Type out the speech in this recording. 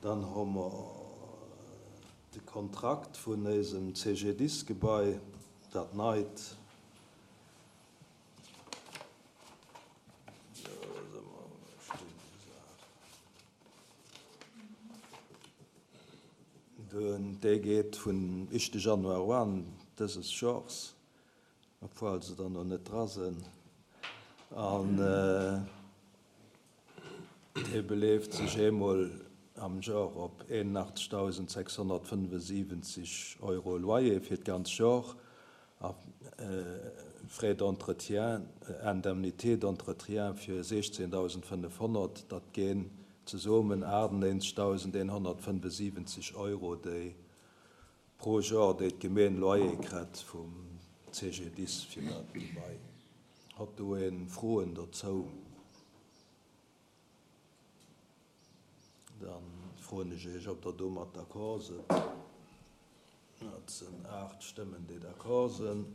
Dann hu mer de Kontrakt vun éisem CGDIS-Gebai, dat neit. Dee geet vun éischte Januar un dëses Jors, obwuel se der nach net dra sinn. An dee beleeft sech eemol am Jor op 81.675 Euro Loyer fir d'ganz Jor a Frais d'entretien, Indemnité d'entretien fir 16.500, dat ginn zesummen 98.175 Euro, déi pro Jor, déi d'Gemeen Loyer kritt vum CGDIS fir dat Gebai. Hat do ee Froen dozou? Da froen ech Iech, ob Der domat d'accord sidd. Dat sinn 8 Stëmmen, déi d'accord sinn.